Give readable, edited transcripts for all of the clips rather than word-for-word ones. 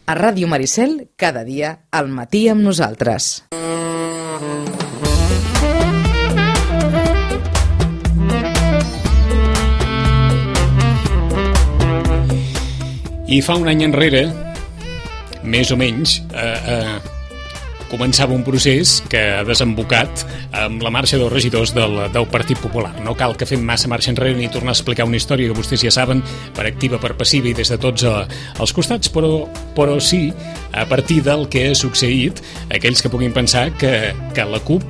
A Ràdio Maricel, cada dia al matí amb nosaltres. I fa un any enrere, més o menys, començava un procés que ha desembocat amb la marxa dels regidors del Partit Popular. No cal que fem massa marxa enrere ni tornar a explicar una història que vostès ja saben, per activa, per passiva i des de tots els costats, però sí, a partir del que ha succeït, aquells que puguin pensar que la CUP,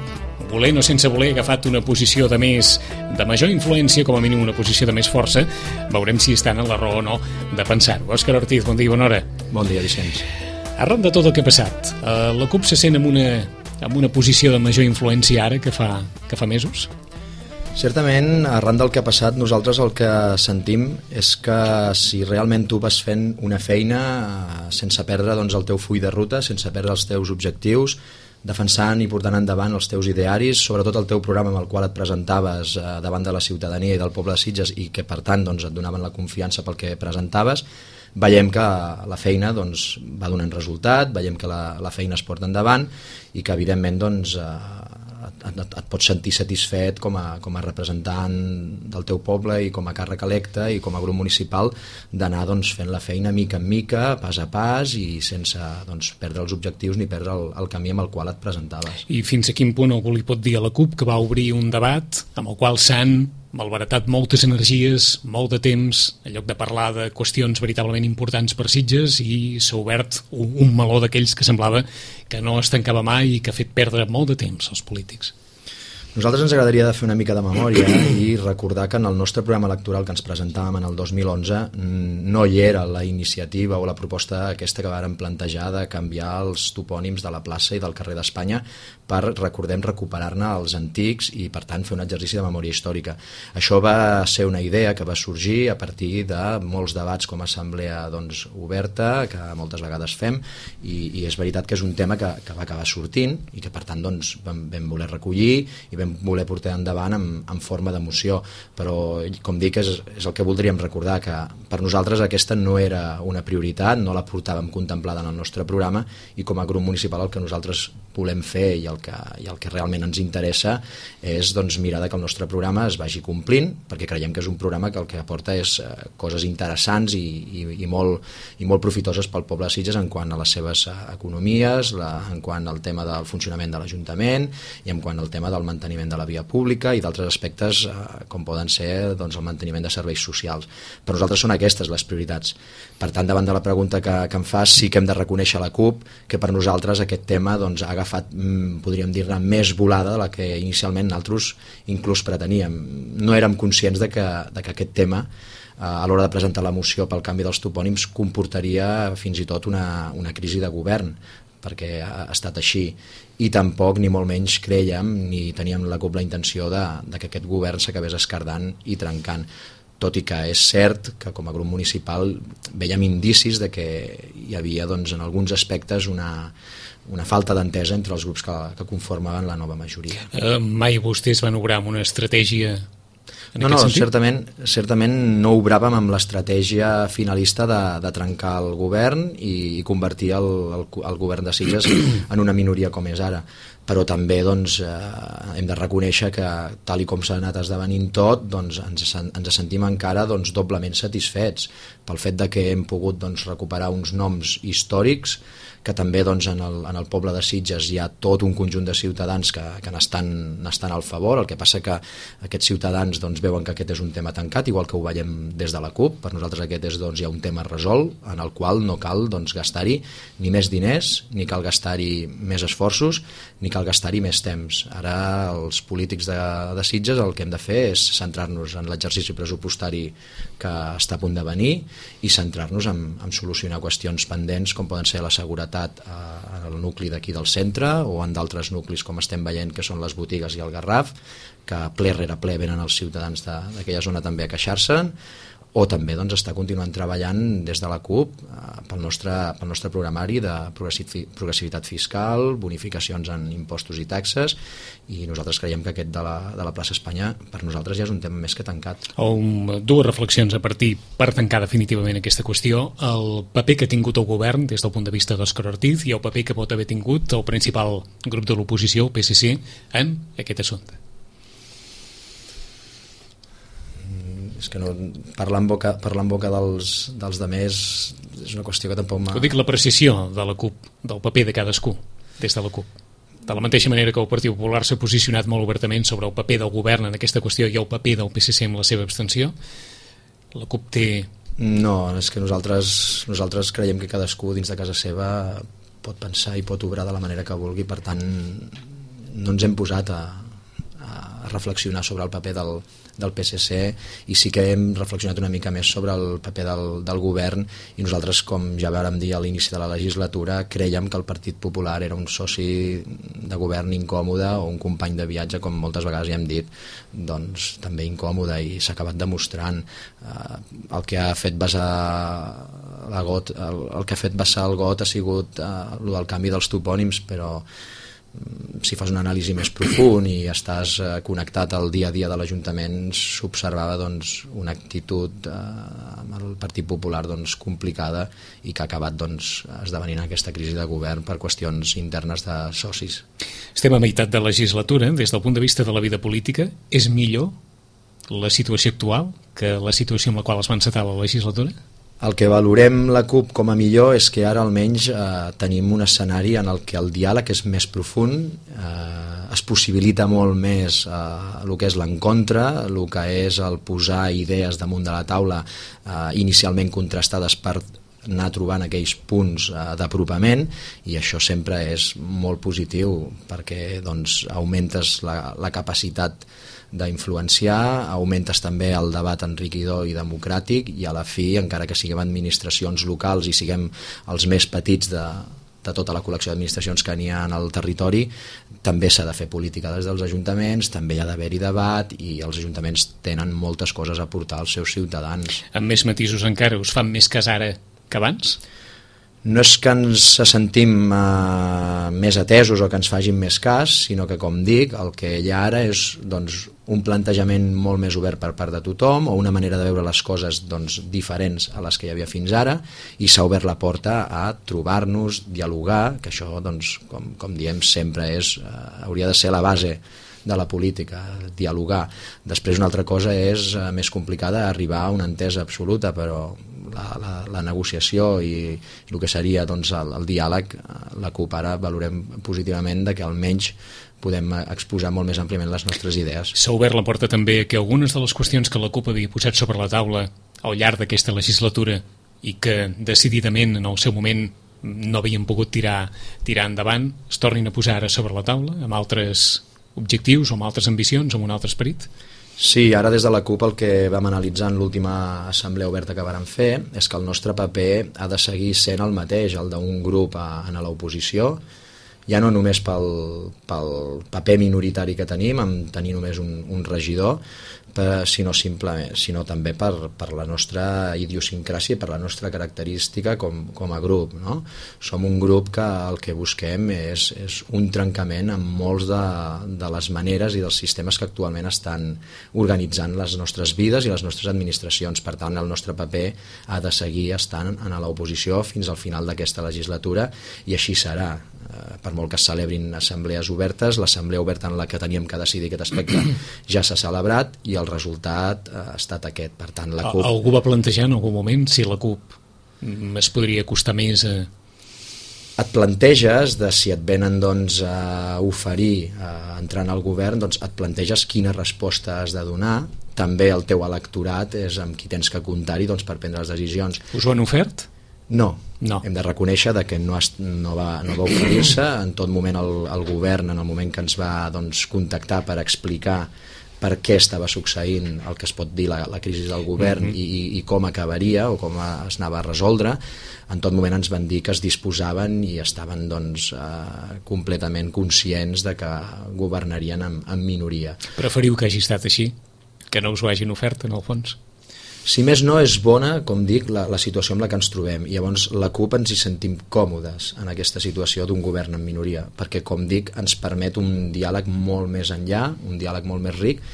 volent o sense voler, ha agafat una posició de major influència, com a mínim una posició de més força. Veurem si estan en la raó o no de pensar-ho. Òscar Ortiz, bon dia i bona hora. Bon dia, Vicenç. Arran de tot el que ha passat, la CUP se sent en una posició de major influència ara que fa mesos? Certament, arran del que ha passat, nosaltres el que sentim és que si realment tu vas fent una feina sense perdre doncs, el teu full de ruta, sense perdre els teus objectius, defensant i portant endavant els teus idearis, sobretot el teu programa amb el qual et presentaves davant de la ciutadania i del poble de Sitges i que per tant doncs, et donaven la confiança pel que presentaves, veiem que la feina doncs, va donant resultat, veiem que la feina es porta endavant i que evidentment doncs, et pots sentir satisfet com a representant del teu poble i com a càrrec electe i com a grup municipal d'anar doncs, fent la feina mica en mica, pas a pas i sense doncs, perdre els objectius ni perdre el camí amb el qual et presentaves. I fins a quin punt algú li pot dir a la CUP que va obrir un debat amb el qual s'han malbaratat moltes energies, molt de temps, en lloc de parlar de qüestions veritablement importants per Sitges, i s'ha obert un meló d'aquells que semblava que no es tancava mai i que ha fet perdre molt de temps als polítics? Nosaltres ens agradaria de fer una mica de memòria i recordar que en el nostre programa electoral que ens presentàvem en el 2011 no hi era la iniciativa o la proposta aquesta que vàrem plantejar de canviar els topònims de la plaça i del carrer d'Espanya per, recordem, recuperar-ne els antics i, per tant, fer un exercici de memòria històrica. Això va ser una idea que va sorgir a partir de molts debats com a assemblea doncs, oberta, que moltes vegades fem, i és veritat que és un tema que va acabar sortint i que, per tant, doncs, vam voler recollir i vam voler portar endavant en forma de moció, però com dic és el que voldríem recordar, que per nosaltres aquesta no era una prioritat, no la portàvem contemplada en el nostre programa i com a grup municipal el que nosaltres volem fer i el que realment ens interessa és doncs, mirar que el nostre programa es vagi complint, perquè creiem que és un programa que el que aporta és coses interessants i molt profitoses pel poble de Sitges en quant a les seves economies, en quant al tema del funcionament de l'Ajuntament i en quant al tema del manteniment de la via pública i d'altres aspectes com poden ser doncs, el manteniment de serveis socials. Per nosaltres són aquestes les prioritats. Per tant, davant de la pregunta que em fas, sí que hem de reconèixer a la CUP que per nosaltres aquest tema doncs, ha agafat, podríem dir-ne, més volada de la que inicialment nosaltres inclús preteníem. No érem conscients de que aquest tema a l'hora de presentar la moció pel canvi dels topònims comportaria fins i tot una crisi de govern, perquè ha estat així, i tampoc ni molt menys crèiem ni teníem la CUP la intenció de que aquest govern s'acabés esquerdant i trencant, tot i que és cert que com a grup municipal veiem indicis de que hi havia doncs, en alguns aspectes una falta d'entesa entre els grups que conformaven la nova majoria. Mai vostès van obrar amb una estratègia No, certament no obràvem amb l'estratègia finalista de trencar el govern i convertir el govern de Sitges en una minoria com és ara. Però també doncs, hem de reconèixer que tal i com s'ha anat esdevenint tot, doncs, ens sentim encara doncs, doblement satisfets pel fet de que hem pogut doncs, recuperar uns noms històrics que també doncs, en el poble de Sitges hi ha tot un conjunt de ciutadans que n'estan al favor. El que passa que aquests ciutadans doncs, veuen que aquest és un tema tancat, igual que ho veiem des de la CUP. Per nosaltres aquest és doncs, ja un tema resolt en el qual no cal doncs, gastar-hi ni més diners, ni cal gastar-hi més esforços, ni cal gastar-hi més temps. Ara els polítics de Sitges el que hem de fer és centrar-nos en l'exercici pressupostari que està a punt de venir i centrar-nos en solucionar qüestions pendents com poden ser la seguretat en el nucli d'aquí del centre o en d'altres nuclis com estem veient que són les botigues i el Garraf, que ple rere ple venen els ciutadans d'aquella zona també a queixar-se'n, o també doncs, està continuant treballant des de la CUP pel nostre programari de progressivitat fiscal, bonificacions en impostos i taxes, i nosaltres creiem que aquest de la plaça Espanya per nosaltres ja és un tema més que tancat. Dues reflexions a partir per tancar definitivament aquesta qüestió: el paper que ha tingut el govern des del punt de vista d'Òscar Ortiz i el paper que pot haver tingut el principal grup de l'oposició, el PSC, en aquest assumpte. És que no, parlar en boca dels demés és una qüestió que tampoc Ho dic l'apreciació de la CUP, del paper de cadascú des de la CUP. De la mateixa manera que el Partit Popular s'ha posicionat molt obertament sobre el paper del govern en aquesta qüestió i el paper del PSC amb la seva abstenció, la CUP té... No, és que nosaltres creiem que cadascú dins de casa seva pot pensar i pot obrar de la manera que vulgui, per tant no ens hem posat a reflexionar sobre el paper del PSC, i sí que hem reflexionat una mica més sobre el paper del govern, i nosaltres, com ja vàrem dir a l'inici de la legislatura, creiem que el Partit Popular era un soci de govern incòmode, o un company de viatge, com moltes vegades ja hem dit, doncs també incòmode, i s'ha acabat demostrant. El que ha fet vessar el got ha sigut el del canvi dels topònims, però si fas una anàlisi més profund i estàs connectat al dia a dia de l'Ajuntament, s'observava doncs, una actitud amb el Partit Popular complicada, i que ha acabat esdevenint aquesta crisi de govern per qüestions internes de socis. Estem a meitat de legislatura. Des del punt de vista de la vida política, és millor la situació actual que la situació amb la qual es va encetar la legislatura? El que valorem la CUP com a millor és que ara almenys tenim un escenari en el que el diàleg és més profund, es possibilita molt més el que és l'encontre, el que és el posar idees damunt de la taula inicialment contrastades per anar trobant aquells punts d'apropament, i això sempre és molt positiu perquè augmentes la capacitat d'influenciar, augmentes també el debat enriquidor i democràtic, i a la fi, encara que siguem administracions locals i siguem els més petits de tota la col·lecció d'administracions que n'hi ha en el territori, també s'ha de fer política des dels ajuntaments, també hi ha d'haver-hi debat, i els ajuntaments tenen moltes coses a aportar als seus ciutadans. Amb més matisos encara, us fan més cas ara que abans? No és que ens sentim més atesos o que ens facin més cas, sinó que, com dic, el que hi ha ara és un plantejament molt més obert per part de tothom, o una manera de veure les coses diferents a les que hi havia fins ara, i s'ha obert la porta a trobar-nos, dialogar, que això, com diem sempre, hauria de ser la base de la política, dialogar. Després una altra cosa és més complicada, arribar a una entesa absoluta, però la negociació i el que seria el diàleg, la CUP ara valorem positivament de que almenys podem exposar molt més àmpliament les nostres idees. S'ha obert la porta també que algunes de les qüestions que la CUP havia posat sobre la taula al llarg d'aquesta legislatura i que decididament en el seu moment no havien pogut tirar endavant, es tornin a posar ara sobre la taula amb altres objectius o amb altres ambicions o amb un altre esperit? Sí, ara des de la CUP el que vam analitzar en l'última assemblea oberta que vàrem fer és que el nostre paper ha de seguir sent el mateix, el d'un grup en l'oposició, ja no només pel paper minoritari que tenim, amb tenir només un regidor, sinó també per la nostra idiosincràsia, per la nostra característica com a grup, no? Som un grup que el que busquem és un trencament amb molts de les maneres i dels sistemes que actualment estan organitzant les nostres vides i les nostres administracions. Per tant, el nostre paper ha de seguir estant en l'oposició fins al final d'aquesta legislatura, i així serà. Per molt que es celebrin assemblees obertes, l'assemblea oberta en la que teníem que decidir aquest aspecte ja s'ha celebrat i el resultat ha estat aquest. Per tant, la CUP... Algú va plantejar en algun moment si la CUP es podria costar més a... Et planteges si et venen a oferir entrant al govern, et planteges quina resposta has de donar. També el teu electorat és amb qui tens que comptar-hi per prendre les decisions. Us ho han ofert? No. Hem de reconèixer que no va oferir-se. En tot moment el govern, en el moment que ens va contactar per explicar per què estava succeint el que es pot dir la crisi del govern i com acabaria o com es anava a resoldre, en tot moment ens van dir que es disposaven i estaven completament conscients de que governarien en minoria. Preferiu que hagi estat així, que no us ho hagin ofert en el fons? Si més no, és bona, com dic, la situació amb la que ens trobem. I llavors la CUP ens hi sentim còmodes en aquesta situació d'un govern en minoria, perquè, com dic, ens permet un diàleg molt més enllà, un diàleg molt més ric,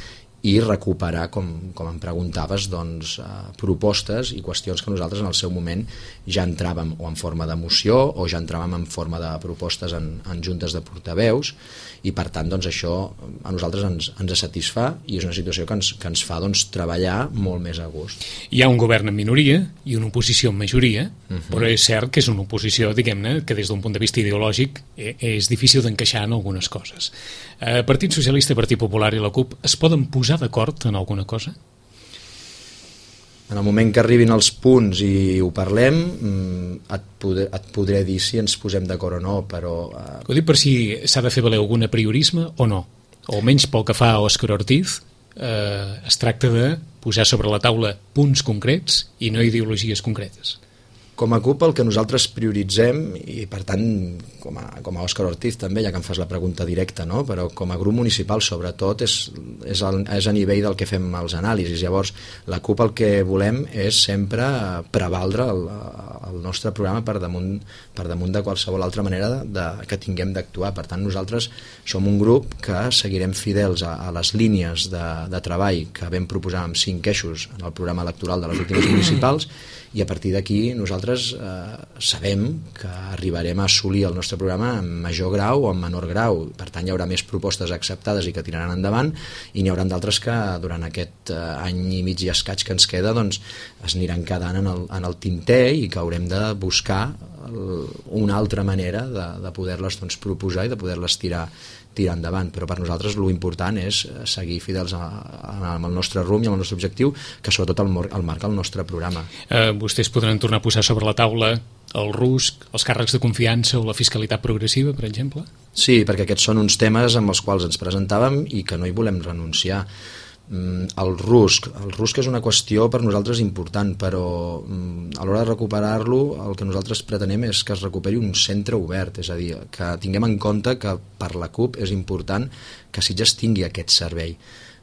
i recuperar, com em preguntaves, doncs, propostes i qüestions que nosaltres en el seu moment ja entràvem o en forma de moció o ja entràvem en forma de propostes en juntes de portaveus, i per tant doncs, això a nosaltres ens satisfà i és una situació que ens fa doncs, treballar molt més a gust. Hi ha un govern en minoria i una oposició en majoria, però és cert que és una oposició, diguem-ne, que des d'un punt de vista ideològic és difícil d'encaixar en algunes coses. Partit Socialista, Partit Popular i la CUP es poden posar d'acord en alguna cosa? En el moment que arribin els punts i ho parlem, et podré dir si ens posem d'acord o no, però... Ho dic per si s'ha de fer valer algun apriorisme o no, o almenys pel que fa a Òscar Ortiz, es tracta de posar sobre la taula punts concrets i no ideologies concretes. Com a CUP el que nosaltres prioritzem, i per tant com a Òscar Ortiz també, ja que em fas la pregunta directa, no? Però com a grup municipal sobretot és a nivell del que fem els anàlisis. Llavors la CUP el que volem és sempre prevaldre el nostre programa per damunt de qualsevol altra manera que tinguem d'actuar. Per tant nosaltres som un grup que seguirem fidels a les línies de treball que vam proposar amb 5 eixos en el programa electoral de les últimes municipals, i a partir d'aquí nosaltres sabem que arribarem a assolir el nostre programa en major grau o en menor grau. Per tant hi haurà més propostes acceptades i que tiraran endavant, i n'hi haurà d'altres que durant aquest any i mig i escaig que ens queda doncs, es aniran quedant en el tinter i que haurem de buscar una altra manera de poder-les doncs, proposar i de poder-les tirar endavant. Però per nosaltres l'important és seguir fidels amb el nostre rumb i amb el nostre objectiu, que sobretot el marca el nostre programa. Vostès podran tornar a posar sobre la taula el RUSC, els càrrecs de confiança o la fiscalitat progressiva, per exemple? Sí, perquè aquests són uns temes amb els quals ens presentàvem i que no hi volem renunciar. El RUSC és una qüestió per nosaltres important, però a l'hora de recuperar-lo el que nosaltres pretenem és que es recuperi un centre obert, és a dir, que tinguem en compte que per la CUP és important que Sitges tingui aquest servei.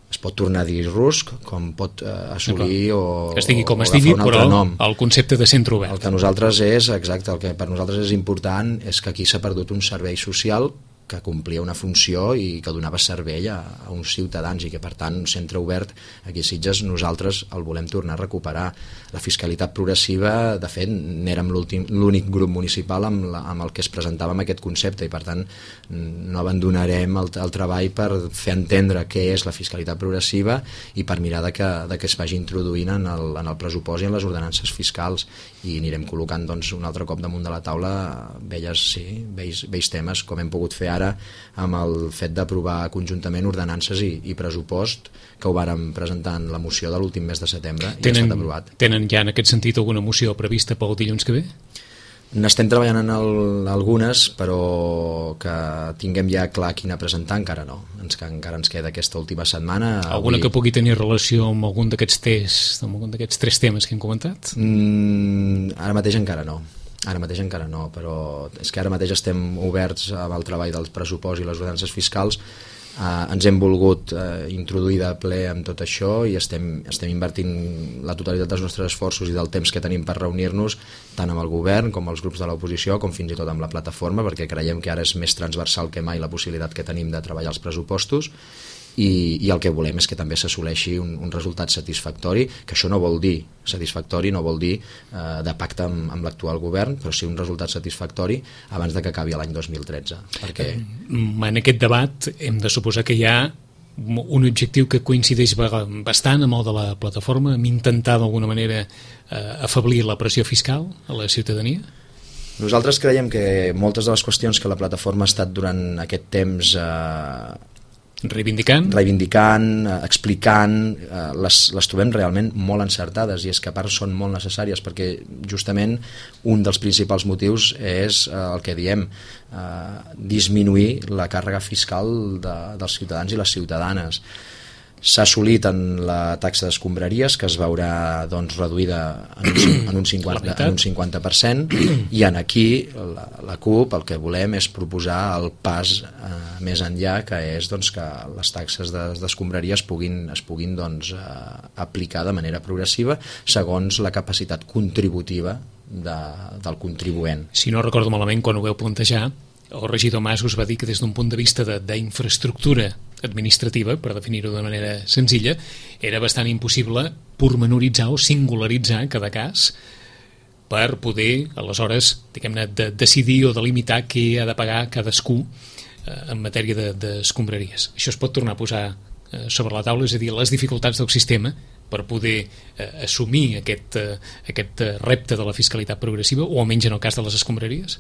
Es pot tornar a dir RUSC, com pot assolir o estigui com estigui, però el concepte de centre obert. El que nosaltres el que per nosaltres és important és que aquí s'ha perdut un servei social que complia una funció i que donava servei a uns ciutadans, i que per tant un centre obert aquí a Sitges nosaltres el volem tornar a recuperar. La fiscalitat progressiva, de fet n'érem l'únic grup municipal amb el que es presentava amb aquest concepte, i per tant no abandonarem el treball per fer entendre què és la fiscalitat progressiva i per mirar de que es vagi introduint en el pressupost i en les ordenances fiscals, i anirem col·locant doncs, un altre cop damunt de la taula vells temes, com hem pogut fer ara amb el fet d'aprovar conjuntament ordenances i pressupost, que ho vàrem presentar en la moció de l'últim mes de setembre i ha estat aprovat. Tenen ja en aquest sentit alguna moció prevista pel dilluns que ve? N'estem treballant en algunes, però que tinguem ja clar quina presentar encara no. Encara ens queda aquesta última setmana. Alguna que pugui tenir relació amb algun d'aquests tests, amb algun d'aquests 3 temes que hem comentat? Ara mateix encara no, però és que ara mateix estem oberts amb el treball del pressupost i les ordenances fiscals. Ens hem volgut introduir de ple amb tot això i estem invertint la totalitat dels nostres esforços i del temps que tenim per reunir-nos tant amb el govern com els grups de l'oposició, com fins i tot amb la plataforma, perquè creiem que ara és més transversal que mai la possibilitat que tenim de treballar els pressupostos, i el que volem és que també s'assoleixi un resultat satisfactori, que això no vol dir satisfactori, no vol dir de pacte amb l'actual govern, però sí un resultat satisfactori abans de que acabi l'any 2013. Perquè... En aquest debat hem de suposar que hi ha un objectiu que coincideix bastant amb el de la plataforma, amb intentar d'alguna manera afeblir la pressió fiscal a la ciutadania? Nosaltres creiem que moltes de les qüestions que la plataforma ha estat durant aquest temps reivindicant, explicant, les trobem realment molt encertades, i és que a part són molt necessàries, perquè justament un dels principals motius és el que diem, disminuir la càrrega fiscal dels ciutadans i les ciutadanes. S'ha assolit en la taxa d'escombraries, que es veurà doncs, reduïda en un 50%, i en aquí la CUP el que volem és proposar el pas més enllà, que és doncs, que les taxes d'escombraries es puguin doncs, aplicar de manera progressiva segons la capacitat contributiva del contribuent. Si no recordo malament, quan ho veu plantejar, el regidor Mas us va dir que des d'un punt de vista d'infraestructura administrativa, per definir-ho de manera senzilla, era bastant impossible pormenoritzar o singularitzar cada cas per poder, aleshores, diguem-ne, decidir o delimitar què ha de pagar cadascú en matèria d'escombraries. Això es pot tornar a posar sobre la taula, és a dir, les dificultats del sistema per poder assumir aquest repte de la fiscalitat progressiva, o almenys en el cas de les escombraries?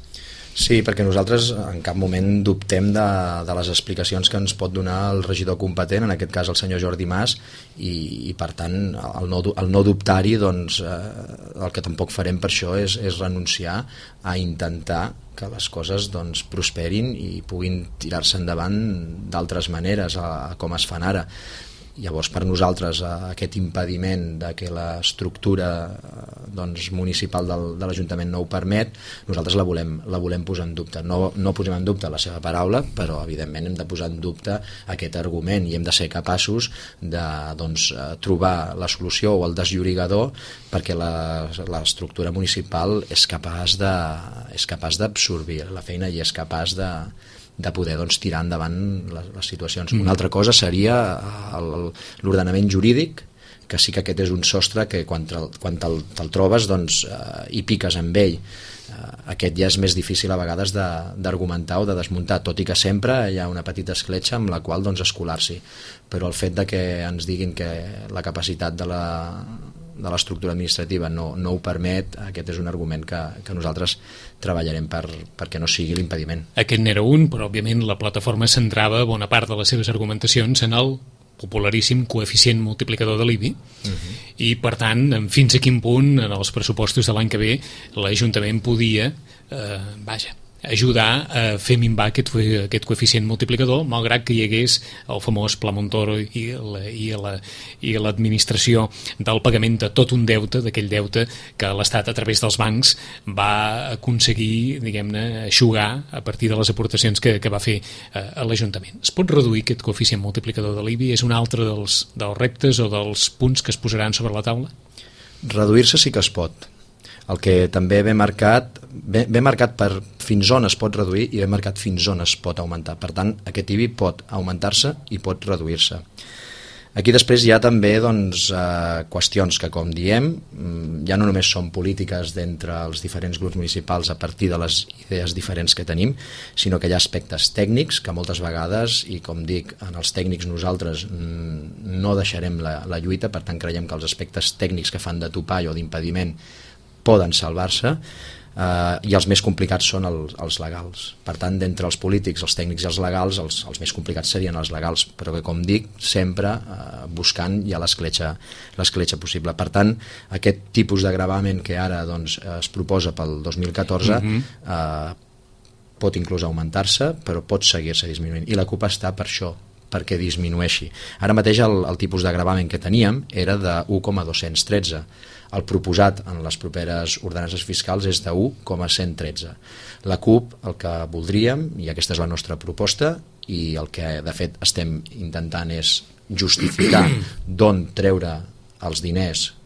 Sí, perquè nosaltres en cap moment dubtem de les explicacions que ens pot donar el regidor competent, en aquest cas el senyor Jordi Mas, i per tant el no dubtar-hi, doncs, el que tampoc farem per això és renunciar a intentar que les coses doncs, prosperin i puguin tirar-se endavant d'altres maneres com es fan ara. Llavors, per nosaltres, aquest impediment de que l'estructura doncs, municipal de l'Ajuntament no ho permet, nosaltres la volem posar en dubte. No posem en dubte la seva paraula, però evidentment hem de posar en dubte aquest argument i hem de ser capaços de doncs, trobar la solució o el desllorigador perquè l'estructura municipal és capaç d'absorbir la feina i és capaç de poder doncs, tirar endavant les situacions. Una altra cosa seria l'ordenament jurídic, que sí que aquest és un sostre que quan te'l trobes doncs, hi piques amb ell. Aquest ja és més difícil a vegades d'argumentar o de desmuntar, tot i que sempre hi ha una petita escletxa amb la qual doncs, escolar-s'hi. Però el fet de que ens diguin que la capacitat de l'estructura administrativa no ho permet, aquest és un argument que nosaltres treballarem perquè no sigui l'impediment. Aquest n'era un, però òbviament la plataforma centrava bona part de les seves argumentacions en el popularíssim coeficient multiplicador de l'IBI, i per tant fins a quin punt en els pressupostos de l'any que ve l'Ajuntament podia ajudar a fer minvar aquest coeficient multiplicador, malgrat que hi hagués el famós Pla Montoro i l'administració del pagament de tot un deute, d'aquell deute que l'Estat a través dels bancs va aconseguir, diguem-ne, eixugar a partir de les aportacions que va fer a l'Ajuntament. Es pot reduir aquest coeficient multiplicador de l'IBI? És un altre dels reptes o dels punts que es posaran sobre la taula? Reduir-se sí que es pot. El que també ve marcat per fins on es pot reduir i ve marcat fins on es pot augmentar. Per tant, aquest IBI pot augmentar-se i pot reduir-se. Aquí després hi ha també doncs, qüestions que, com diem, ja no només són polítiques d'entre els diferents grups municipals a partir de les idees diferents que tenim, sinó que hi ha aspectes tècnics que moltes vegades, i com dic, en els tècnics nosaltres no deixarem la lluita, per tant creiem que els aspectes tècnics que fan de topall o d'impediment poden salvar-se, i els més complicats són els legals. Per tant, d'entre els polítics, els tècnics i els legals, els més complicats serien els legals, però que, com dic, sempre buscant ja l'escletxa possible. Per tant, aquest tipus de gravament que ara doncs, es proposa pel 2014 pot inclús augmentar-se, però pot seguir-se disminuint. I la CUP està per això, perquè disminueixi. Ara mateix el tipus de gravament que teníem era de 1,213. El proposat en les properes ordenances fiscals és de 1,113. La CUP el que voldríem, i aquesta és la nostra proposta, i el que de fet estem intentant és justificar d'on treure els diners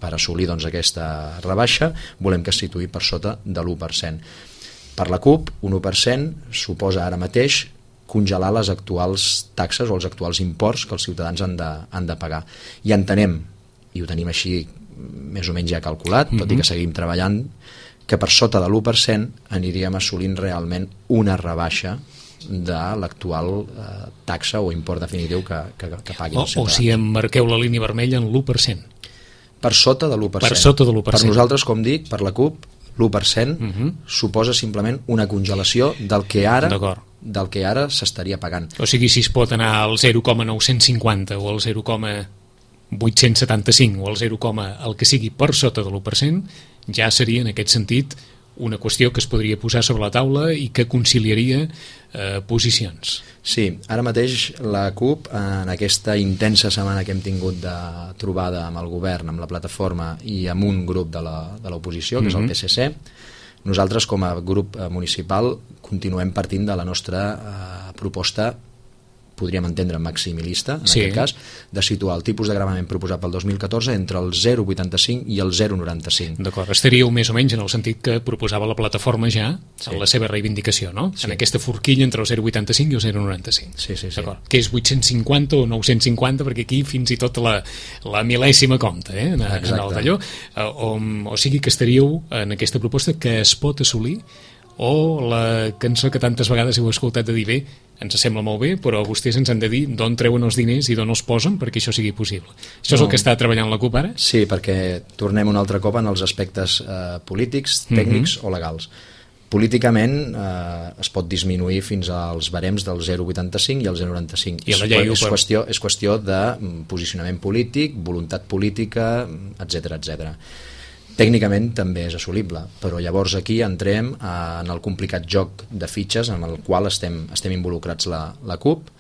per assolir doncs, aquesta rebaixa, volem que es situï per sota de l'1%. Per la CUP, un 1% suposa ara mateix congelar les actuals taxes o els actuals imports que els ciutadans han de pagar. I entenem, i ho tenim així més o menys ja calculat, tot i que seguim treballant, que per sota de l'1% aniríem assolint realment una rebaixa de l'actual taxa o import definitiu que paguin els ciutadans. O si emmarqueu la línia vermella en l'1%. Per sota de l'1%. Per sota de l'1%. Per nosaltres, com dic, per la CUP, l'1% suposa simplement una congelació del que ara s'estaria pagant. O sigui, si es pot anar al 0,950 o al 0,875 o al 0, el que sigui per sota de l'1%, ja seria en aquest sentit una qüestió que es podria posar sobre la taula i que conciliaria posicions. Sí, ara mateix la CUP, en aquesta intensa setmana que hem tingut de trobada amb el govern, amb la plataforma i amb un grup de l'oposició, que és el PSC, nosaltres com a grup municipal continuem partint de la nostra proposta, podríem entendre maximalista, en aquest cas, de situar el tipus de gravament proposat pel 2014 entre el 0,85 i el 0,95. D'acord, estaríeu més o menys en el sentit que proposava la plataforma ja en la seva reivindicació, no? Sí. En aquesta forquilla entre el 0,85 i el 0,95. Sí. D'acord, que és 850 o 950, perquè aquí fins i tot la mil·lèsima compta, en el d'allò. O sigui que estaríeu en aquesta proposta que es pot assolir, o la cançó que tantes vegades heu escoltat de dir, bé, ens sembla molt bé, però vostès ens han de dir d'on treuen els diners i d'on els posen perquè això sigui possible. Això és el que està treballant la CUP ara? Sí, perquè tornem un altre cop en els aspectes polítics, tècnics o legals. Políticament es pot disminuir fins als barems del 0,85 i el 0,95. És qüestió de posicionament polític, voluntat política, etc. Tècnicament també és assolible, però llavors aquí entrem en el complicat joc de fitxes en el qual estem involucrats la CUP,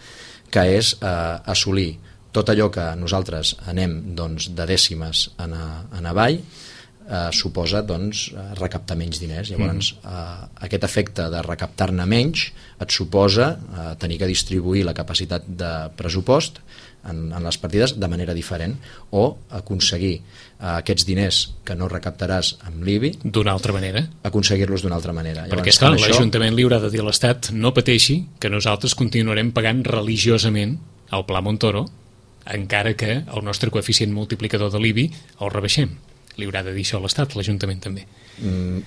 que és assolir tot allò que nosaltres anem de dècimes en avall, suposa recaptar menys diners. Llavors aquest efecte de recaptar-ne menys et suposa tenir que distribuir la capacitat de pressupost en les partides de manera diferent, o aconseguir aquests diners que no recaptaràs amb l'IBI d'una altra manera, aconseguir-los d'una altra manera. Perquè esclar, l'Ajuntament li haurà de dir a l'Estat no pateixi que nosaltres continuarem pagant religiosament el Pla Montoro encara que el nostre coeficient multiplicador de l'IBI el rebaixem. Li haurà de dir això a l'Estat, l'Ajuntament també.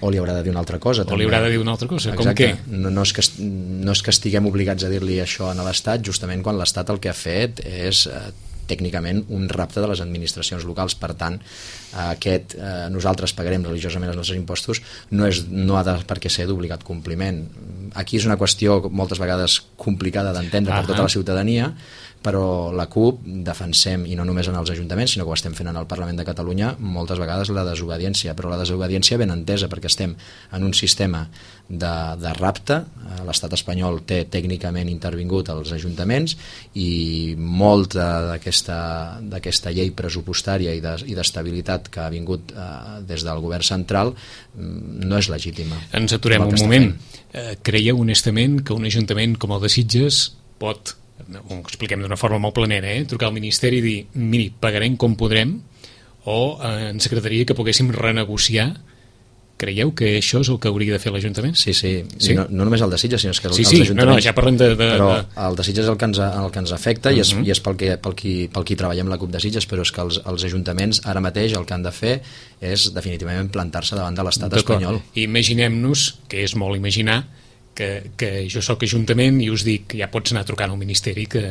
O li haurà de dir una altra cosa. O li haurà de dir una altra cosa. Exacte. Com què? No és que estiguem obligats a dir-li això a l'Estat, justament quan l'Estat el que ha fet és tècnicament un rapte de les administracions locals. Per tant, nosaltres pagarem religiosament els nostres impostos no ha de per què ser d'obligat compliment. Aquí és una qüestió moltes vegades complicada d'entendre per tota la ciutadania, però la CUP defensem, i no només en els ajuntaments, sinó que ho estem fent en el Parlament de Catalunya, moltes vegades la desobediència, però la desobediència ben entesa, perquè estem en un sistema de rapte. L'Estat espanyol té tècnicament intervingut als ajuntaments i molta d'aquesta llei pressupostària i d'estabilitat que ha vingut des del govern central no és legítima. Ens aturem un moment. Creieu honestament que un ajuntament com el de Sitges pot, ho expliquem d'una forma molt planera, trucar al Ministeri i dir, miri, pagarem com podrem, o ens agradaria que poguéssim renegociar? Creieu que això és el que hauria de fer l'Ajuntament? Sí. No només el de Sitges, sinó que els ajuntaments... No, ja parlem de... Però el de Sitges és el que ens afecta i és pel qui treballem la CUP de Sitges, però és que els ajuntaments ara mateix el que han de fer és definitivament plantar-se davant de l'Estat espanyol. Imaginem-nos, que és molt imaginar, que jo sóc ajuntament i us dic, ja pots anar trucant al Ministeri que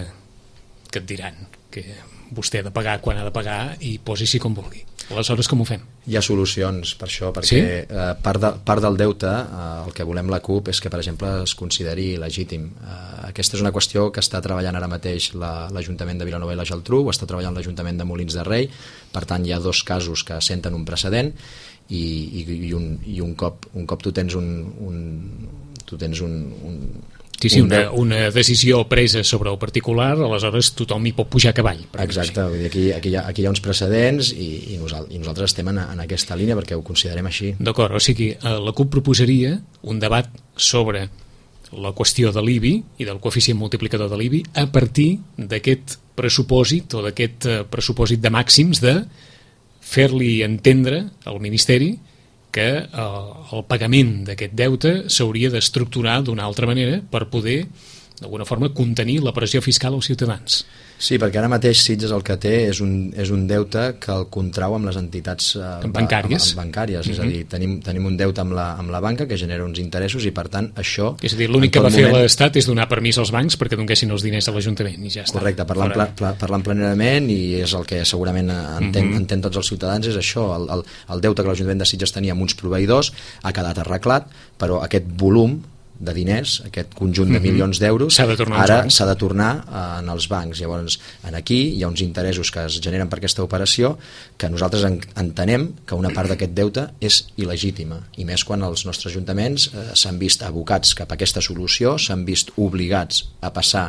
et diran que vostè ha de pagar quan ha de pagar i posi-s'hi com vulgui. Aleshores, com ho fem? Hi ha solucions per això, perquè part del deute, el que volem la CUP és que, per exemple, es consideri legítim. Aquesta és una qüestió que està treballant ara mateix l'Ajuntament de Vilanova i la Geltrú, ho està treballant l'Ajuntament de Molins de Rei, per tant hi ha dos casos que senten un precedent i un cop tu tens una decisió presa sobre el particular, aleshores tothom hi pot pujar a cavall. Exacte, vull dir, aquí hi ha uns precedents i nosaltres estem en aquesta línia perquè ho considerem així. D'acord, o sigui, la CUP proposaria un debat sobre la qüestió de l'IBI i del coeficient multiplicador de l'IBI a partir d'aquest pressupòsit o d'aquest pressupòsit de màxims de fer-li entendre al Ministeri que el pagament d'aquest deute s'hauria d'estructurar d'una altra manera per poder, d'alguna forma, contenir la pressió fiscal als ciutadans. Sí, perquè ara mateix Sitges el que té és un deute que el contrau amb les entitats bancàries. És a dir, tenim un deute amb la banca que genera uns interessos i per tant això... És a dir, l'únic que va fer l'Estat és donar permís als bancs perquè donessin els diners a l'Ajuntament i ja està. Correcte, parlant planerament, i és el que segurament entén tots els ciutadans, és això, el deute que l'Ajuntament de Sitges tenia amb uns proveïdors ha quedat arreglat, però aquest volum de diners, aquest conjunt de milions d'euros, ara s'ha de tornar en els bancs. Llavors, aquí hi ha uns interessos que es generen per aquesta operació que nosaltres entenem que una part d'aquest deute és il·legítima, i més quan els nostres ajuntaments s'han vist abocats cap a aquesta solució, s'han vist obligats a passar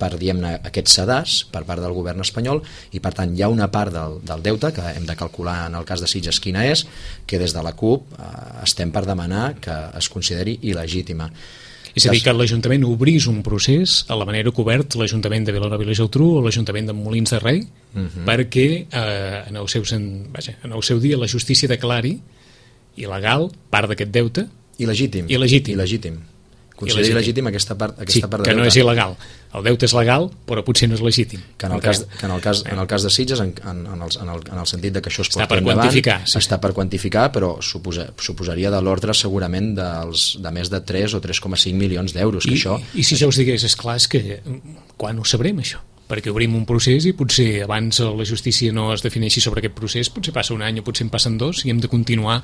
per, diguem-ne, aquests sedars per part del govern espanyol, i per tant hi ha una part del deute que hem de calcular en el cas de Sitges quina és, que des de la CUP estem per demanar que es consideri il·legítima. És a dir, que l'Ajuntament obrís un procés a la manera que ha obert l'Ajuntament de Vilanova i la Geltrú o l'Ajuntament de Molins de Rei, perquè en el seu dia la justícia declari il·legal part d'aquest deute. Il·legítim. Consideri il·legítim aquesta part de deute. Que no és il·legal. El deute és legal, però potser no és legítim. Que en el cas de Sitges, en el sentit de que això es porti endavant, està per quantificar, però suposaria de l'ordre segurament de més de 3 o 3,5 milions d'euros. I si jo us digués, esclar, és que quan ho sabrem, això? Perquè obrim un procés i potser abans la justícia no es defineixi sobre aquest procés, potser passa un any o potser en passen 2 i hem de continuar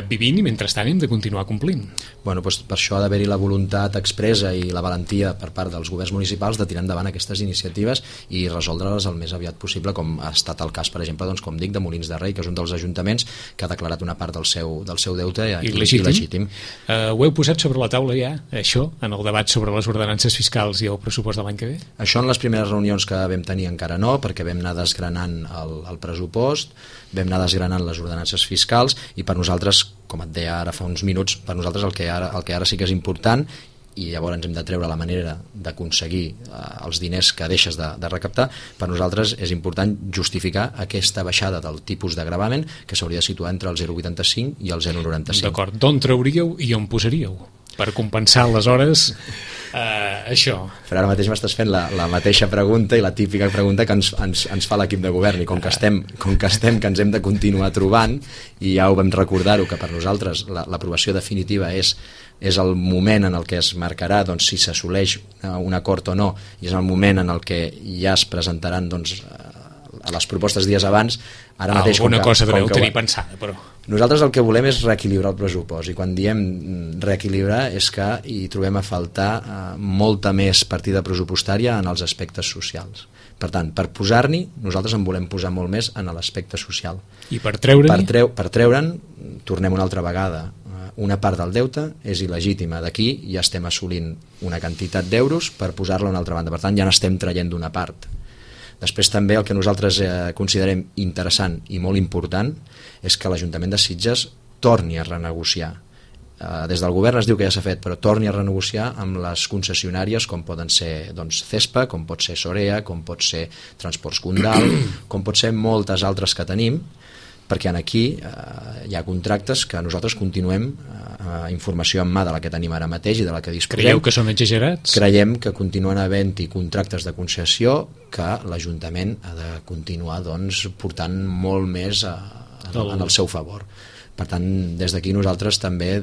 vivint, i mentrestant hem de continuar complint. Bueno, doncs per això ha d'haver-hi la voluntat expressa i la valentia per part dels governs municipals de tirar endavant aquestes iniciatives i resoldre-les el més aviat possible, com ha estat el cas, per exemple, doncs, com dic, de Molins de Rei, que és un dels ajuntaments que ha declarat una part del seu deute il·legítim. Ho heu posat sobre la taula ja, això, en el debat sobre les ordenances fiscals i el pressupost de l'any que ve? Això en les primeres reunions que vam tenir encara no, perquè vam anar desgranant el pressupost, vam anar desgranant les ordenances fiscals, i per nosaltres, com et deia ara fa uns minuts, per nosaltres el que ara sí que és important, i llavors hem de treure la manera d'aconseguir els diners que deixes de recaptar, per nosaltres és important justificar aquesta baixada del tipus de gravamen que s'hauria de situar entre el 0,85 i el 0,95. D'acord, d'on trauríeu i on posaríeu per compensar aleshores això? Però ara mateix m'estàs fent la mateixa pregunta i la típica pregunta que ens fa l'equip de govern, i com que ens hem de continuar trobant, i ja ho vam recordar-ho, que per nosaltres l'aprovació definitiva és el moment en el que es marcarà, doncs, si s'assoleix un acord o no, i és el moment en el que ja es presentaran, doncs, a les propostes dies abans. Ara mateix, alguna cosa deveu tenir pensada, però nosaltres el que volem és reequilibrar el pressupost, i quan diem reequilibrar és que hi trobem a faltar molta més partida pressupostària en els aspectes socials. Per tant, per posar-n'hi, nosaltres en volem posar molt més en l'aspecte social. I per treure'n? Per treure'n, tornem una altra vegada, una part del deute és il·legítima. D'aquí ja estem assolint una quantitat d'euros per posar-la a una altra banda. Per tant, ja n'estem traient d'una part. Després també el que nosaltres considerem interessant i molt important és que l'Ajuntament de Sitges torni a renegociar. Des del govern es diu que ja s'ha fet, però torni a renegociar amb les concessionàries, com poden ser, doncs, CESPA, com pot ser Sorea, com pot ser Transports Condal, com pot ser moltes altres que tenim, perquè aquí hi ha contractes que nosaltres continuem informació en mà de la que tenim ara mateix i de la que disposem. Creieu que són exagerats? Creiem que continuen havent-hi contractes de concessió que l'Ajuntament ha de continuar, doncs, portant molt més en el seu favor. Per tant, des d'aquí nosaltres també,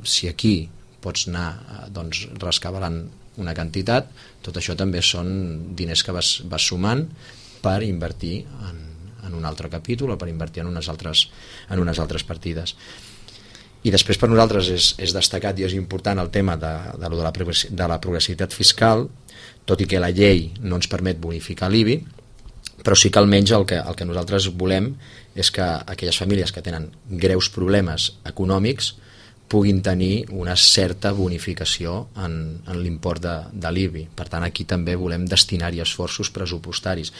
si aquí pots anar, doncs, rescabalant una quantitat, tot això també són diners que vas sumant per invertir en un altre capítol o per invertir en unes altres partides. I després per nosaltres és destacat i és important el tema de la progressivitat fiscal, tot i que la llei no ens permet bonificar l'IBI, però sí que almenys el que nosaltres volem és que aquelles famílies que tenen greus problemes econòmics puguin tenir una certa bonificació en l'import de l'IBI. Per tant, aquí també volem destinar-hi esforços pressupostaris.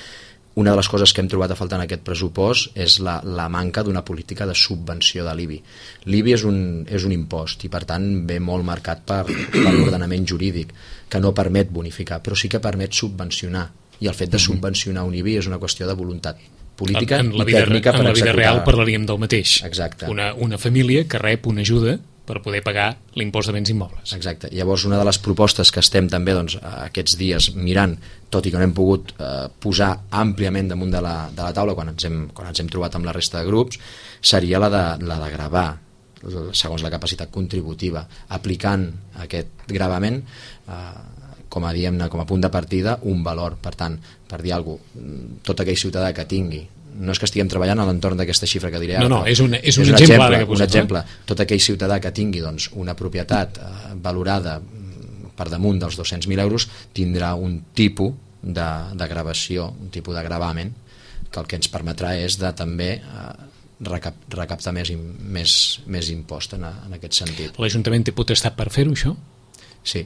Una de les coses que hem trobat a faltar en aquest pressupost és la manca d'una política de subvenció de l'IBI. L'IBI és un impost i, per tant, ve molt marcat per l'ordenament jurídic, que no permet bonificar, però sí que permet subvencionar. I el fet de subvencionar un IBI és una qüestió de voluntat política i tècnica per executar. En la vida real parlaríem del mateix. Exacte. Una família que rep una ajuda per poder pagar l'impost de béns immobles. Exacte. Llavors, una de les propostes que estem també, doncs, aquests dies mirant, tot i que no hem pogut posar àmpliament damunt de la taula quan ens hem trobat amb la resta de grups, seria la de gravar segons la capacitat contributiva, aplicant aquest gravament com a punt de partida un valor. Per tant, per dir alguna cosa, tot aquell ciutadà que tingui no és que estiguem treballant a l'entorn d'aquesta xifra que diré ara. No, és un exemple, un exemple. Tot aquell ciutadà que tingui doncs, una propietat valorada per damunt dels 200.000 euros tindrà un tipus de gravació, un tipus de gravamen, que el que ens permetrà és de també recaptar més impost en aquest sentit. L'Ajuntament té potestat per fer-ho, això? Sí.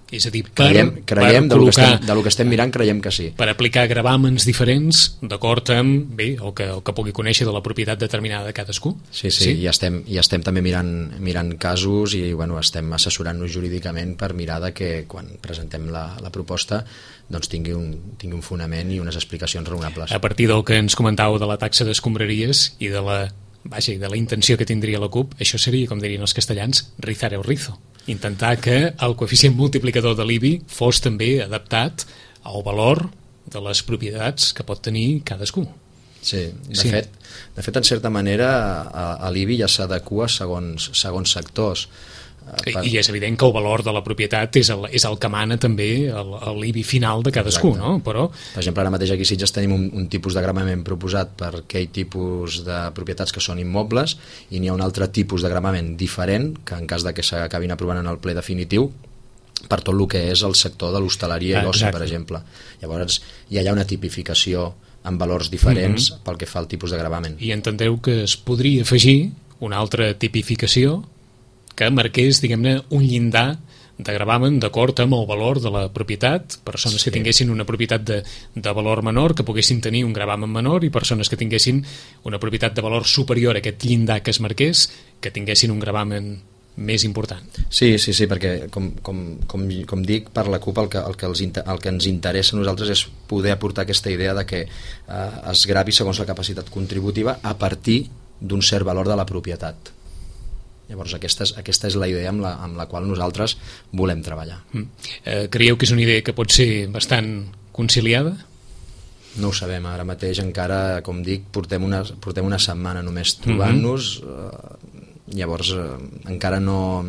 És a dir, creiem del que estem mirant, creiem que sí. Per aplicar gravàmens diferents d'acord amb el que pugui conèixer de la propietat determinada de cadascú. Sí, i estem també mirant casos i estem assessorant-nos jurídicament per mirar de que quan presentem la proposta doncs tingui un fonament i unes explicacions raonables. A partir del que ens comentàveu de la taxa d'escombraries i de la intenció que tindria la CUP, això seria, com dirien els castellans, rizar el rizo. Intentar que el coeficient multiplicador de l'IBI fos també adaptat al valor de les propietats que pot tenir cadascú. Sí, de fet, en certa manera, l'IBI ja s'adequa segons sectors. I és evident que el valor de la propietat és el que mana també l'IBI final de cadascú. Exacte. No? Però... Per exemple, ara mateix aquí a Sitges tenim un tipus de gravament proposat per aquell tipus de propietats que són immobles i n'hi ha un altre tipus de gravament diferent que en cas de que s'acabin aprovant en el ple definitiu per tot el que és el sector de l'hostaleria i l'oci, per exemple. Llavors hi ha una tipificació amb valors diferents pel que fa al tipus de gravament. I entendeu que es podria afegir una altra tipificació que marqués, diguem-ne, un llindar de gravamen d'acord amb el valor de la propietat, persones que tinguessin una propietat de valor menor, que poguessin tenir un gravamen menor, i persones que tinguessin una propietat de valor superior a aquest llindar que es marqués, que tinguessin un gravamen més important. Sí, perquè com dic, per la CUP el que ens interessa a nosaltres és poder aportar aquesta idea de que es gravi segons la capacitat contributiva a partir d'un cert valor de la propietat. Llavors aquesta és la idea amb la qual nosaltres volem treballar. Creieu que és una idea que pot ser bastant conciliada? No ho sabem, ara mateix encara, com dic, portem una setmana només trobant-nos, llavors encara no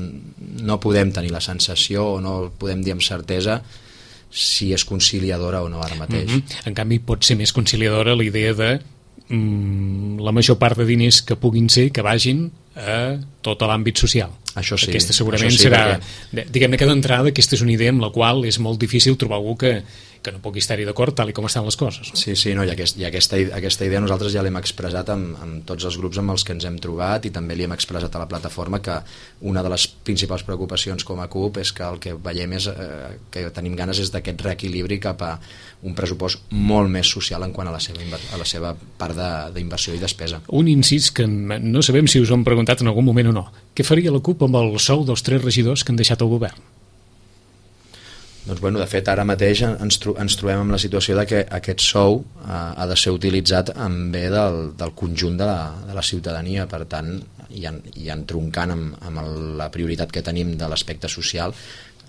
podem tenir la sensació o no podem dir amb certesa si és conciliadora o no ara mateix. En canvi pot ser més conciliadora la idea de la major part de diners que puguin ser que vagin a tot l'àmbit social. Això sí. Aquesta segurament serà, diguem-ne que d'entrada aquesta és una idea amb la qual és molt difícil trobar algú que no pugui estar-hi d'acord tal com estan les coses. Sí, i aquesta idea nosaltres ja l'hem expressat amb tots els grups amb els que ens hem trobat i també li hem expressat a la plataforma que una de les principals preocupacions com a CUP és que el que veiem és que tenim ganes és d'aquest reequilibri cap a un pressupost molt més social en quant a la seva part d'inversió i despesa. Un incís que no sabem si us ho hem preguntat en algun moment o no. Què faria la CUP amb el sou dels 3 regidors que han deixat el govern? Doncs de fet ara mateix ens trobem amb la situació de que aquest sou ha de ser utilitzat en bé del conjunt de la ciutadania, per tant i entroncant amb la prioritat que tenim de l'aspecte social,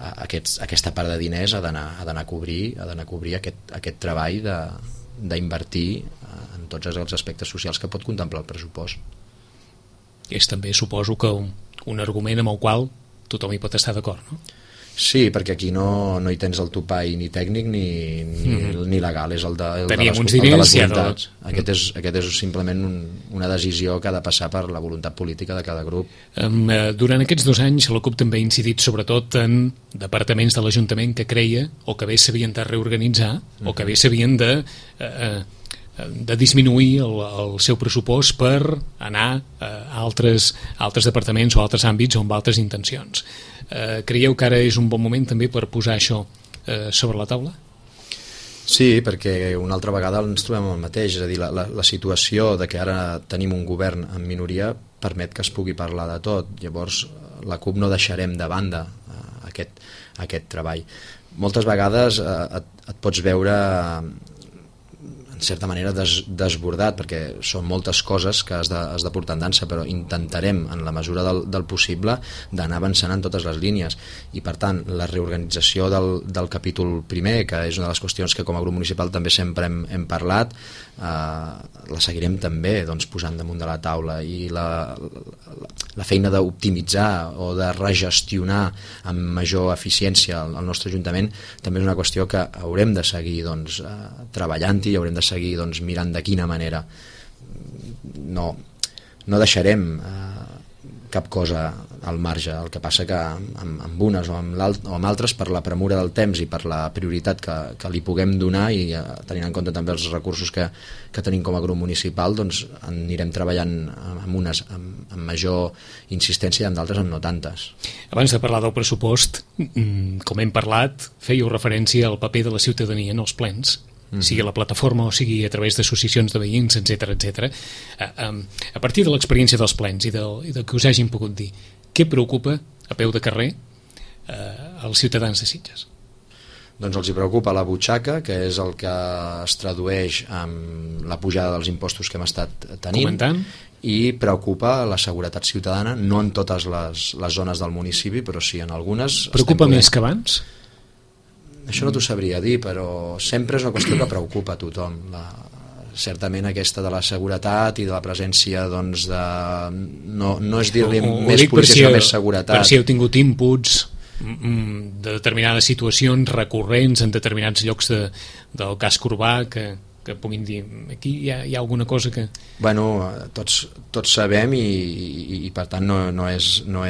aquesta part de diners ha d'anar a cobrir aquest treball d'invertir en tots els aspectes socials que pot contemplar el pressupost. És també, suposo, que un argument amb el qual tothom hi pot estar d'acord, no? Sí, perquè aquí no hi tens el topall ni tècnic ni legal, és el de les voluntats. Aquest és simplement una decisió que ha de passar per la voluntat política de cada grup. Durant aquests 2 anys la CUP també ha incidit sobretot en departaments de l'Ajuntament que creia o que bé s'havien de reorganitzar o que bé s'havien de disminuir el seu pressupost per anar a altres departaments o altres àmbits o amb altres intencions. Creieu que ara és un bon moment també per posar això sobre la taula? Sí, perquè una altra vegada ens trobem amb el mateix, és a dir, la situació de que ara tenim un govern en minoria permet que es pugui parlar de tot. Llavors la CUP no deixarem de banda aquest treball. Moltes vegades et pots veure en certa manera desbordat, perquè són moltes coses que has de portar en dansa, però intentarem en la mesura del possible d'anar avançant en totes les línies, i per tant la reorganització del capítol primer, que és una de les qüestions que com a grup municipal també sempre hem parlat, la seguirem també posant damunt de la taula, i la feina d'optimitzar o de regestionar amb major eficiència el nostre Ajuntament també és una qüestió que haurem de seguir treballant-hi i haurem de seguir doncs, mirant de quina manera. No deixarem cap cosa al marge. El que passa que amb unes o amb altres, per la premura del temps i per la prioritat que li puguem donar, i tenint en compte també els recursos que tenim com a grup municipal, doncs anirem treballant amb unes amb major insistència i amb d'altres amb no tantes. Abans de parlar del pressupost, com hem parlat, fèieu referència al paper de la ciutadania en els plens, sigui a la plataforma o sigui a través d'associacions de veïns, etc. A partir de l'experiència dels plens i del que us hagin pogut dir, què preocupa a peu de carrer als ciutadans de Sitges? Doncs els hi preocupa la butxaca, que és el que es tradueix amb la pujada dels impostos que hem estat tenint. Comentant. I preocupa la seguretat ciutadana, no en totes les zones del municipi, però sí en algunes. Preocupa més que abans? Això no t'ho sabria dir, però sempre és una qüestió que preocupa a tothom. Certament aquesta de la seguretat i de la presència, doncs, no és dir-li més policia, sinó més seguretat. Per si heu tingut inputs de determinades situacions recurrents en determinats llocs del casc urbà que puguin dir, aquí hi ha alguna cosa que... Bueno, tots sabem i per tant no és una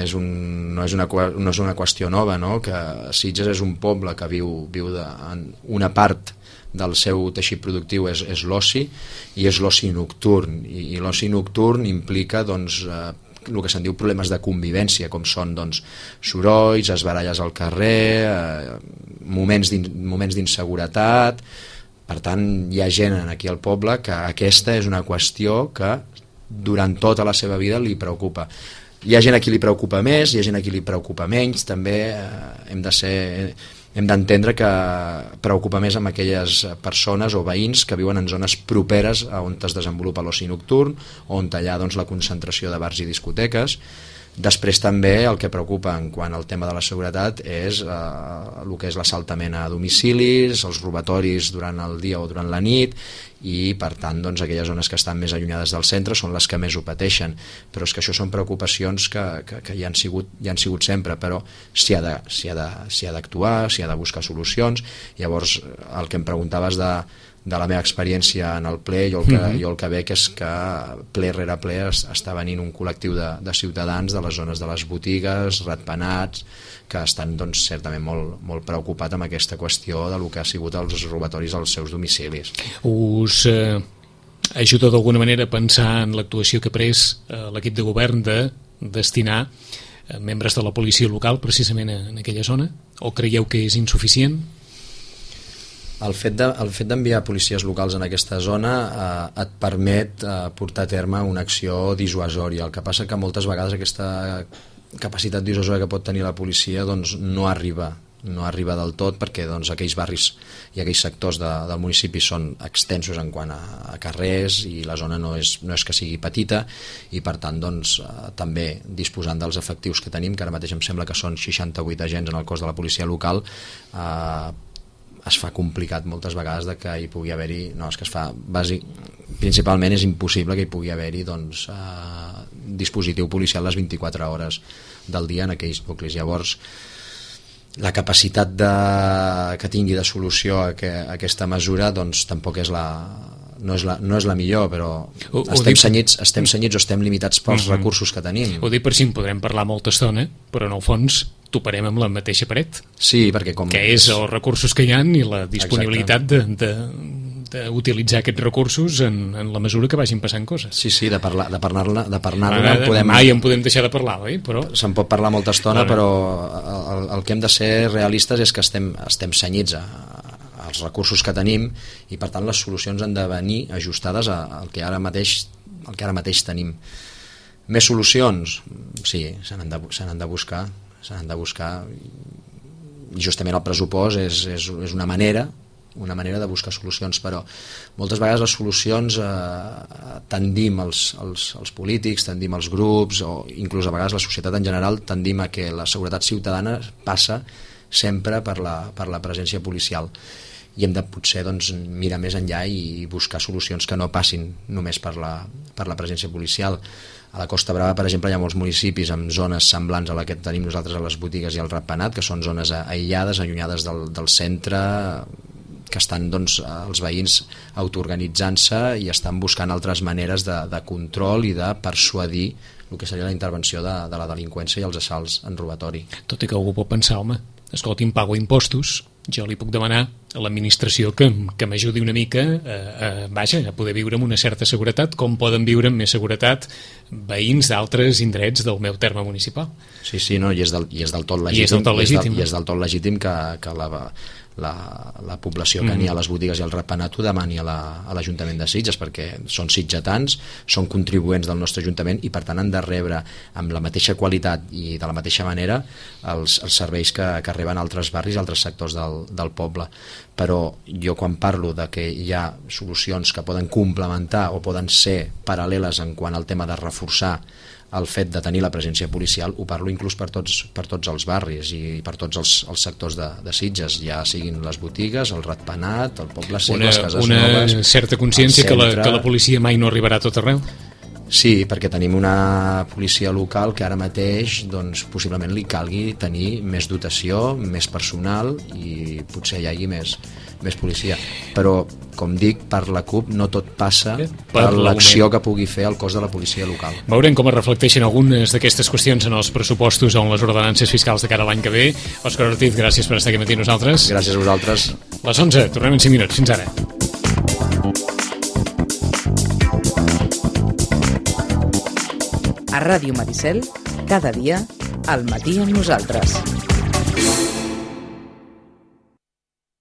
qüestió nova, no? Que Sitges és un poble que viu en una part del seu teixit productiu és l'oci, i és l'oci nocturn, i l'oci nocturn implica doncs el que se'n diu problemes de convivència, com són doncs sorolls, esbaralles al carrer, moments d'inseguretat. Per tant, hi ha gent aquí al poble que aquesta és una qüestió que durant tota la seva vida li preocupa. Hi ha gent a qui li preocupa més, hi ha gent a qui li preocupa menys. També hem d'entendre que preocupa més amb aquelles persones o veïns que viuen en zones properes a on es desenvolupa l'oci nocturn, on hi ha doncs, la concentració de bars i discoteques. Després també el que preocupa en quant al tema de la seguretat és el que és l'assaltament a domicilis, els robatoris durant el dia o durant la nit, i per tant doncs, aquelles zones que estan més allunyades del centre són les que més ho pateixen. Però és que això són preocupacions que hi han sigut sempre, però s'hi ha d'actuar, s'hi ha de buscar solucions. Llavors el que em preguntaves de la meva experiència en el ple, jo el que veig és que ple rere ple està venint un col·lectiu de ciutadans de les zones de les botigues, ratpenats, que estan doncs, certament molt preocupats amb aquesta qüestió de lo que ha sigut els robatoris als seus domicilis. Us ajuda d'alguna manera a pensar en l'actuació que ha pres l'equip de govern de destinar membres de la policia local precisament en aquella zona? O creieu que és insuficient? El fet d'enviar policies locals en aquesta zona et permet portar a terme una acció dissuasòria. El que passa que moltes vegades aquesta capacitat dissuasòria que pot tenir la policia doncs, no arriba del tot, perquè doncs, aquells barris i aquells sectors del municipi són extensos en quant a carrers, i la zona no és que sigui petita, i per tant doncs, també disposant dels efectius que tenim, que ara mateix em sembla que són 68 agents en el cos de la policia local, es fa complicat moltes vegades de que hi pugui haver-hi, principalment és impossible que hi pugui haver-hi doncs, dispositiu policial les 24 hores del dia en aquells nuclis. Llavors la capacitat que tingui de solució aquesta mesura doncs tampoc no és la millor, però estem senyits o estem limitats pels recursos que tenim. Ho dic per si en podrem parlar molta estona, però en el fons toparem amb la mateixa paret. Sí, perquè que és els recursos que hi ha i la disponibilitat d'utilitzar aquests recursos en la mesura que vagin passant coses. Sí, de parlar-ne mai en podem deixar de parlar, oi? Se'n pot parlar molta estona, però el que hem de ser realistes és que estem senyits als recursos que tenim, i per tant les solucions han de venir ajustades al que ara mateix tenim. Més solucions? Sí, se n'han de buscar, i justament el pressupost és una manera de buscar solucions, però moltes vegades les solucions tendim els polítics, tendim els grups, o inclús a vegades la societat en general, tendim a que la seguretat ciutadana passa sempre per la presència policial, i hem de potser doncs, mirar més enllà i buscar solucions que no passin només per la presència policial. A la Costa Brava, per exemple, hi ha molts municipis amb zones semblants a la que tenim nosaltres a les botigues i al ratpenat, que són zones aïllades, allunyades del centre, estan doncs, els veïns autoorganitzant-se i estan buscant altres maneres de control i de persuadir el que seria la intervenció de la delinqüència i els assalts en robatori. Tot i que algú pot pensar, home, escolti'm, pago impostos, jo li puc demanar a l'administració que m'ajudi una mica a poder viure amb una certa seguretat, com poden viure amb més seguretat veïns d'altres indrets del meu terme municipal. Sí, no, i és del tot legítim. I és del tot legítim que la població que n'hi ha a les botigues i al ratpenat ho demani a l'Ajuntament de Sitges, perquè són sitgetans, són contribuents del nostre Ajuntament i per tant han de rebre amb la mateixa qualitat i de la mateixa manera els serveis que arriben a altres barris i altres sectors del poble. Però jo quan parlo de que hi ha solucions que poden complementar o poden ser paral·leles en quant al tema de reforçar el fet de tenir la presència policial, ho parlo inclús per tots els barris i per tots els sectors de Sitges, ja siguin les botigues, el ratpenat, el poble sec, les cases noves... Una certa consciència que la policia mai no arribarà a tot arreu? Sí, perquè tenim una policia local que ara mateix doncs, possiblement li calgui tenir més dotació, més personal i potser hi hagi més policia. Però, com dic, per la CUP no tot passa per l'acció que pugui fer el cos de la policia local. Veurem com es reflecteixen algunes d'aquestes qüestions en els pressupostos o en les ordenances fiscals de cara a l'any que ve. Òscar Ortiz, gràcies per estar aquí matí amb nosaltres. Gràcies a vosaltres. Les 11, tornem en 5 minuts. Fins ara. A Ràdio Maricel, cada dia, al matí amb nosaltres.